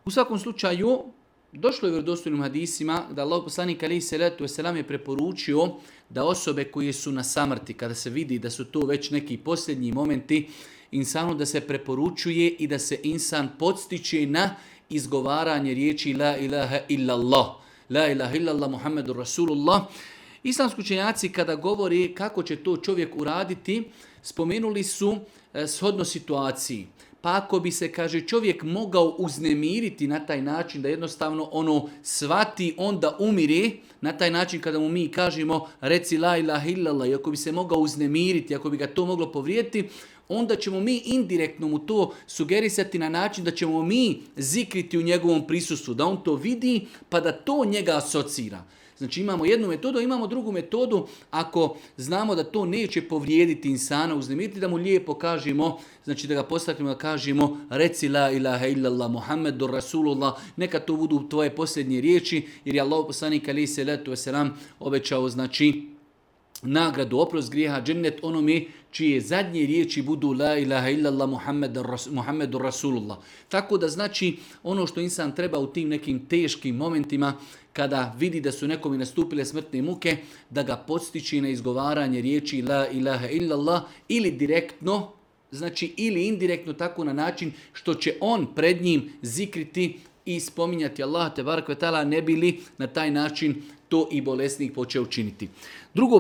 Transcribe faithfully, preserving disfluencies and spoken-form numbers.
U svakom slučaju, došlo je u vjerodostojnim hadisima da Allah poslanik alejhi selatu vesselam je preporučio da osobe koje su na samrti, kada se vidi da su to već neki posljednji momenti, insanu da se preporučuje i da se insan podstiče na izgovaranje riječi la ilaha illallah. La ilaha illallah Muhammedur Rasulullah. Islamski učenjaci kada govori kako će to čovjek uraditi, spomenuli su e, shodno situaciji. Pa ako bi se, kaže, čovjek mogao uznemiriti na taj način da jednostavno ono svati, onda umiri, na taj način kada mu mi kažemo reci la ilaha illallah, i ako bi se mogao uznemiriti, ako bi ga to moglo povrijediti, onda ćemo mi indirektno mu to sugerisati na način da ćemo mi zikriti u njegovom prisustvu, da on to vidi pa da to njega asocira. Znači imamo jednu metodu, imamo drugu metodu, ako znamo da to neće povrijediti insana, uznemiriti, da mu lijepo kažemo, znači da ga postavimo da kažemo reci la ilaha illallah Muhammedur Rasulullah, neka to budu tvoje posljednje riječi, jer je Allah poslanik alejhi selatu vesselam obećao, znači, nagradu, oprost grijeha, džennet onome čije zadnje riječi budu la ilaha illallah Muhammedur Rasulullah. Tako da znači ono što insan treba u tim nekim teškim momentima kada vidi da su nekome nastupile smrtne muke, da ga podstiče na izgovaranje riječi la ilaha illallah ili direktno, znači ili indirektno tako na način što će on pred njim zikriti i spominjati Allah te barek ve taala, ne bi li na taj način to i bolesnik počeo činiti. Drugo